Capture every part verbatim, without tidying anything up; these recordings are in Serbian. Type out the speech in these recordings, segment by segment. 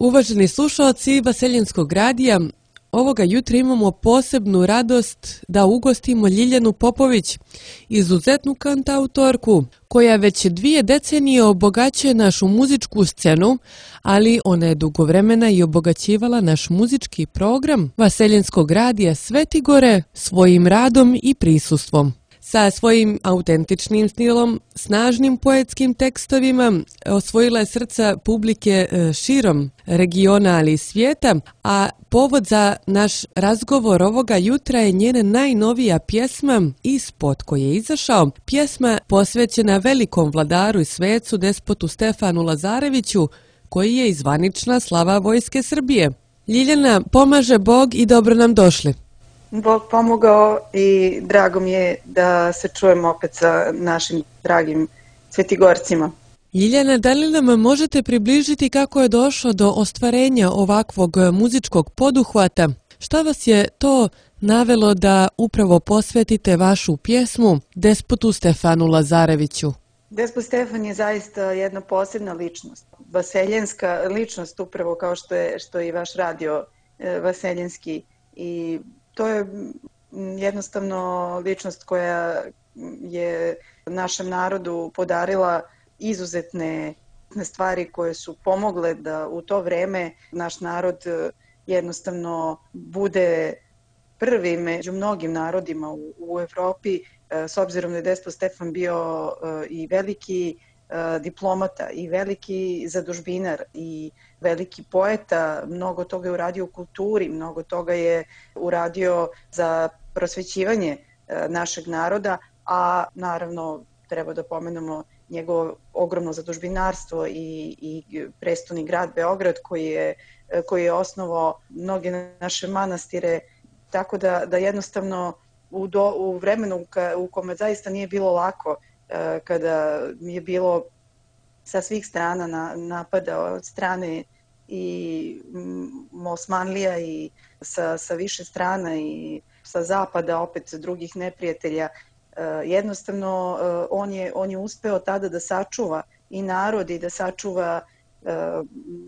Uvaženi slušalci Vaseljenskog radija, ovoga jutra imamo posebnu radost da ugostimo Ljiljanu Popović, izuzetnu kantautorku, koja već dvije decenije obogaćuje našu muzičku scenu, ali ona je dugo vremena i obogaćivala naš muzički program Vaseljenskog radija Svetigore svojim radom i prisustvom. Sa svojim autentičnim stilom, snažnim poetskim tekstovima osvojila je srca publike širom regiona, ali i svijeta, a povod za naš razgovor ovoga jutra je njena najnovija pjesma i spot koji je izašao, pjesma posvećena velikom vladaru i svecu despotu Stefanu Lazareviću, koji je i zvanična slava Vojske Srbije. Ljiljana, pomaže Bog i dobro nam došli. Bog pomogao i drago mi je da se čujemo opet sa našim dragim Svetigorcima. Ljiljana, da li nam možete približiti kako je došlo do ostvarenja ovakvog muzičkog poduhvata? Šta vas je to navelo da upravo posvetite vašu pjesmu despotu Stefanu Lazareviću? Despot Stefan je zaista jedna posebna ličnost, vaseljenska ličnost, upravo kao što je, što je i vaš radio e, vaseljenski, i to je jednostavno ličnost koja je našem narodu podarila izuzetne stvari koje su pomogle da u to vreme naš narod jednostavno bude prvi među mnogim narodima u, u Evropi, s obzirom da je despot Stefan bio i veliki diplomata i veliki zadužbinar i veliki poeta, mnogo toga je uradio u kulturi, mnogo toga je uradio za prosvećivanje našeg naroda, a naravno treba da pomenemo njegovo ogromno zadužbinarstvo i, i prestoni grad Beograd koji je, koji je osnovao mnoge naše manastire, tako da, da jednostavno u, do, u vremenu ka, u kome zaista nije bilo lako, kada je bilo sa svih strana na, napada od strane i Osmanlija i sa, sa više strana i sa zapada opet drugih neprijatelja. Jednostavno on je, on je uspeo tada da sačuva i narod i da sačuva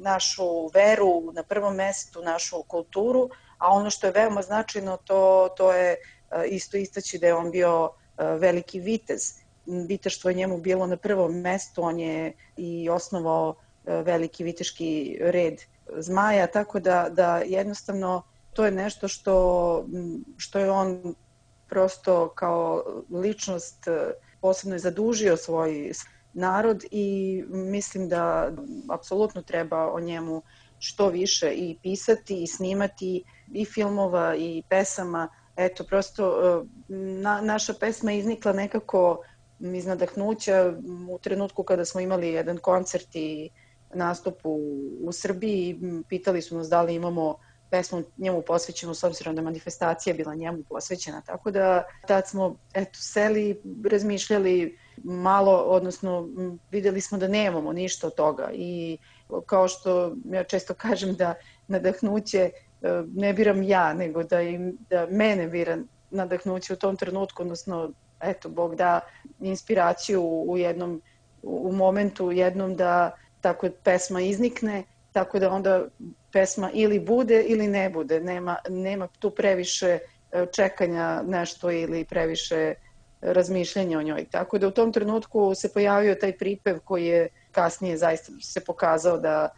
našu veru na prvom mestu, našu kulturu, a ono što je veoma značajno to, to je isto istaći da je on bio veliki vitez. Viteštvo je njemu bilo na prvom mestu, on je i osnovao veliki viteški red Zmaja, tako da, da jednostavno to je nešto što, što je on prosto kao ličnost posebno je zadužio svoj narod i mislim da apsolutno treba o njemu što više i pisati i snimati i filmova i pesama. Eto, prosto na, naša pesma je iznikla nekako iz nadahnuća u trenutku kada smo imali jedan koncert i nastup u, u Srbiji. Pitali su nas da li imamo pesmu njemu posvećenu, s obzirom da manifestacija bila njemu posvećena. Tako da tad smo eto, seli, razmišljali malo, odnosno videli smo da nemamo ništa od toga. I kao što ja često kažem da nadahnuće ne biram ja, nego da, im, da mene bira nadahnuće u tom trenutku, odnosno eto, Bog da inspiraciju u jednom, u momentu jednom da tako pesma iznikne, tako da onda pesma ili bude ili ne bude. Nema, nema tu previše čekanja nešto ili previše razmišljanja o njoj. Tako da u tom trenutku se pojavio taj pripev koji je kasnije zaista se pokazao da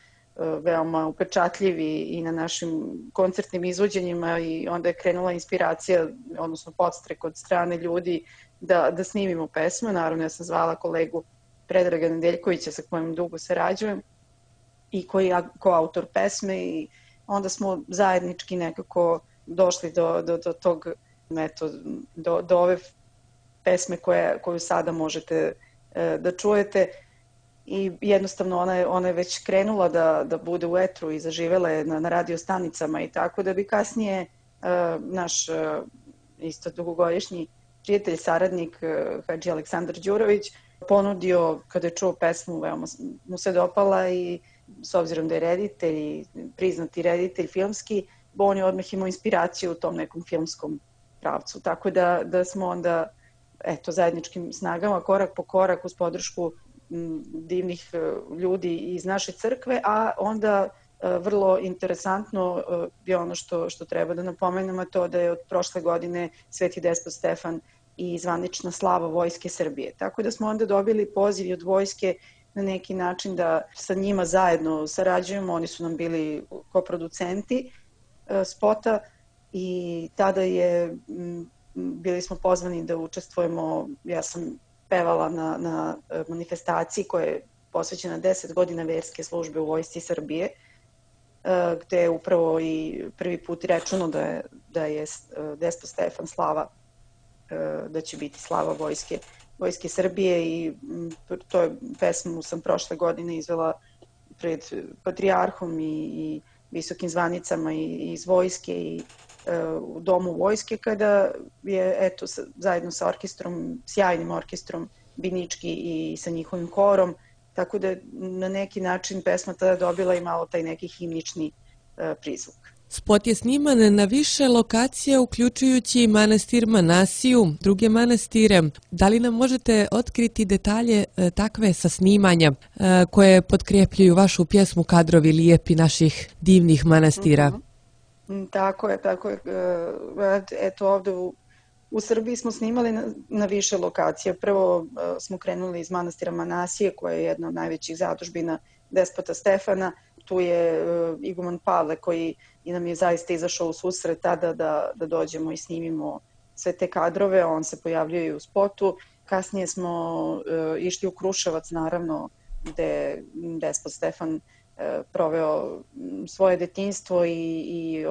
veoma upečatljiv i na našim koncertnim izvođenjima i onda je krenula inspiracija, odnosno podstrek od strane ljudi da, da snimimo pesmu. Naravno, ja sam zvala kolegu Predraga Nedeljkovića sa kojim dugo sarađujem i koji je koautor pesme i onda smo zajednički nekako došli do, do, do tog, eto, do, do ove pesme koje, koju sada možete e, da čujete. I jednostavno ona je, ona je već krenula da, da bude u etru i zaživela je na, na radio stanicama i tako da bi kasnije uh, naš uh, isto dugogodišnji prijatelj, saradnik uh, Hadži Aleksandar Đurović ponudio, kada je čuo pesmu, veoma mu se dopala i s obzirom da je reditelj i priznati reditelj filmski, on je odmah imao inspiraciju u tom nekom filmskom pravcu. Tako da, da smo onda eto, zajedničkim snagama, korak po korak uz podršku divnih ljudi iz naše crkve, a onda Vrlo interesantno je ono što, što treba da napomenemo, to da je od prošle godine Sveti despot Stefan i zvanična slava Vojske Srbije. Tako da smo onda dobili poziv od vojske na neki način da sa njima zajedno sarađujemo. Oni su nam bili koproducenti spota i tada je, bili smo pozvani da učestvujemo, ja sam pevala na, na manifestaciji koja je posvećena deset godina verske službe u Vojsci Srbije, gde je upravo i prvi put rečeno da je, da je despot Stefan slava, da će biti slava vojske, vojske Srbije i to je pesmu sam prošle godine izvela pred patrijarhom i, i visokim zvanicama i, i iz vojske i u domu vojske kada je eto zajedno sa orkestrom, sjajnim orkestrom Binički i sa njihovim korom, tako da na neki način pesma tada dobila i malo taj neki himnični prizvuk. Spot je sniman na više lokacija, uključujući manastir Manasiju, druge manastire. Da li nam možete otkriti detalje takve sa snimanja koje potkrepljuju vašu pjesmu Kadrovi lijepi naših divnih manastira? Mm-hmm. Tako je, tako je. Eto ovde u, u Srbiji smo snimali na, na više lokacija. Prvo smo krenuli iz manastira Manasije, koja je jedna od najvećih zadužbina despota Stefana. Tu je iguman Pavle koji i nam je zaista izašao u susret tada da, da dođemo i snimimo sve te kadrove. On se pojavljuje i u spotu. Kasnije smo uh, išli u Kruševac, naravno, gde despot Stefan uh, proveo svoje detinjstvo i, i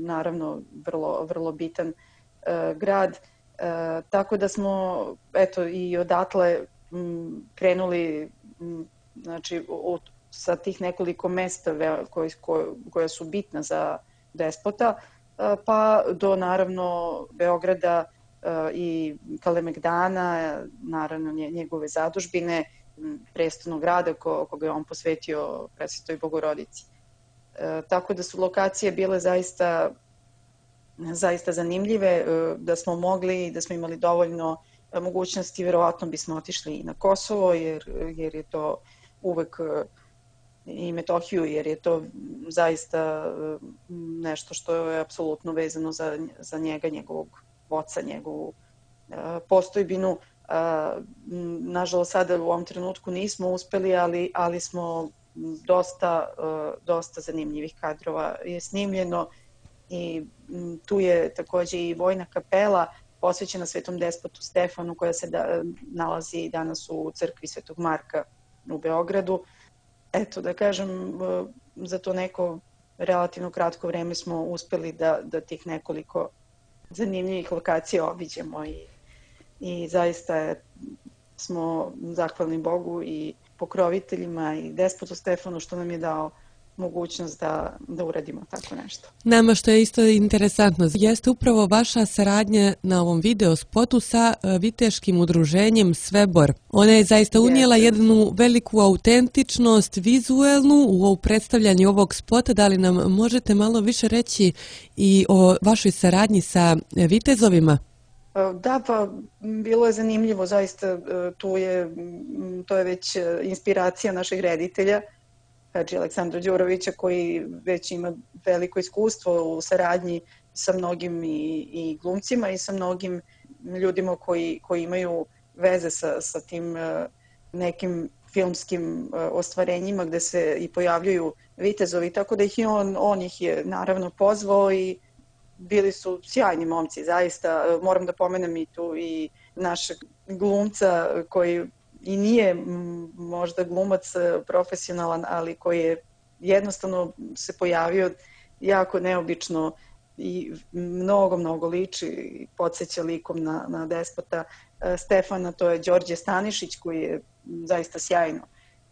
naravno vrlo, vrlo bitan uh, grad. Uh, tako da smo eto, i odatle m, krenuli m, znači, u sa tih nekoliko mesta koje, koja su bitna za despota, pa do naravno Beograda i Kalemegdana, naravno njegove zadužbine, prestolnog grada ko, koga je on posvetio Presvetoj Bogorodici. Tako da su lokacije bile zaista, zaista zanimljive, da smo mogli, da smo imali dovoljno mogućnosti, verovatno bismo otišli i na Kosovo, jer, jer je to uvek i Metohiju, jer je to zaista nešto što je apsolutno vezano za, za njega, njegovog oca, njegovu uh, postojbinu. Uh, nažalost, sada u ovom trenutku nismo uspeli, ali, ali smo dosta, uh, dosta zanimljivih kadrova je snimljeno i um, tu je takođe i vojna kapela posvećena Svetom despotu Stefanu, koja se da, nalazi danas u crkvi Svetog Marka u Beogradu. Eto, da kažem, za to neko relativno kratko vreme smo uspeli da, da tih nekoliko zanimljivih lokacija obiđemo i, i zaista smo zahvalni Bogu i pokroviteljima i despotu Stefanu što nam je dao mogućnost da, da uradimo tako nešto. Nama što je isto interesantno jeste upravo vaša saradnja na ovom video spotu sa viteškim udruženjem Svebor. Ona je zaista unijela jeste. jednu veliku autentičnost vizuelnu u predstavljanju ovog spota. Da li nam možete malo više reći i o vašoj saradnji sa vitezovima? Da, pa bilo je zanimljivo, zaista tu je, to je već inspiracija našeg reditelja, Hadži Aleksandra Đurovića, koji već ima veliko iskustvo u saradnji sa mnogim i, i glumcima i sa mnogim ljudima koji, koji imaju veze sa, sa tim nekim filmskim ostvarenjima gde se i pojavljuju vitezovi, tako da ih i on, on ih je naravno pozvao i bili su sjajni momci, zaista. Moram da pomenem i tu i našeg glumca koji i nije možda glumac profesionalan, ali koji je jednostavno se pojavio jako neobično i mnogo, mnogo liči i podsjeća likom na, na despota Stefana. To je Đorđe Stanišić koji je zaista sjajno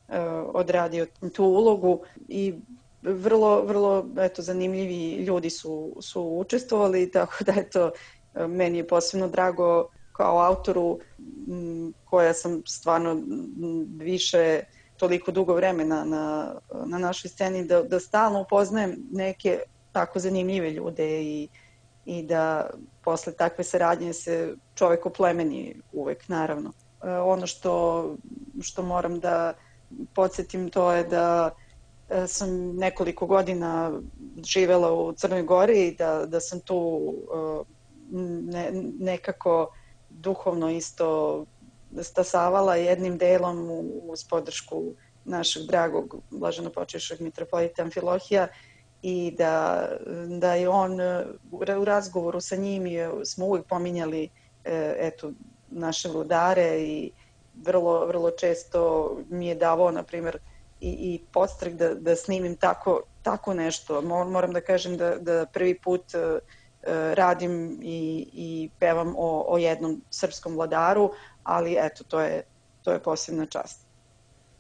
uh, odradio tu ulogu i vrlo, vrlo eto, zanimljivi ljudi su, su učestvovali, tako da eto, meni je posebno drago kao autoru koja sam stvarno više toliko dugo vremena na, na našoj sceni da, da stalno upoznajem neke tako zanimljive ljude i, i da posle takve saradnje se čovek oplemeni uvek, naravno. Ono što, što moram da podsjetim to je da sam nekoliko godina živela u Crnoj Gori i da, da sam tu ne, nekako duhovno isto stasavala jednim delom uz podršku našeg dragog blaženopočivšeg mitropolita Amfilohija i da, da je on u razgovoru sa njim smo uvijek pominjali eto, naše vladare i vrlo, vrlo često mi je davao, na primjer, i, i podstrek da, da snimim tako, tako nešto. Moram da kažem da, da prvi put uh, radim i, i pevam o, o jednom srpskom vladaru, ali eto, to je, to je posebna čast.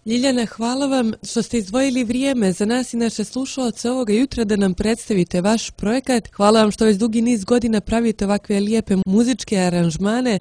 Ljiljana, hvala vam što ste izdvojili vrijeme za nas i naše slušalce ovoga jutra da nam predstavite vaš projekat. Hvala vam što već dugi niz godina pravite ovakve lijepe muzičke aranžmane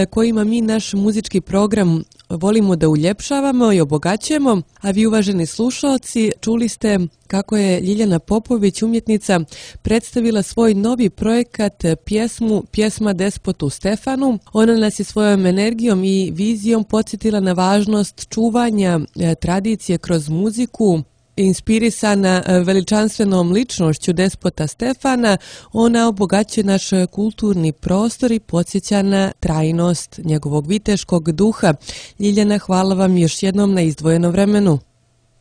kojima mi naš muzički program volimo da uljepšavamo i obogaćujemo. A vi, uvaženi slušalci, čuli ste kako je Ljiljana Popović, umjetnica, predstavila svoj novi projekat, pjesmu Pjesma despotu Stefanu. Ona nas je svojom energijom i vizijom podsjetila na važnost čuvanja tradicije kroz muziku. Inspirisana veličanstvenom ličnošću despota Stefana, ona obogaćuje naš kulturni prostor i podsjeća na trajnost njegovog viteškog duha. Ljiljana, hvala vam još jednom na izdvojenom vremenu.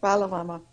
Hvala vama.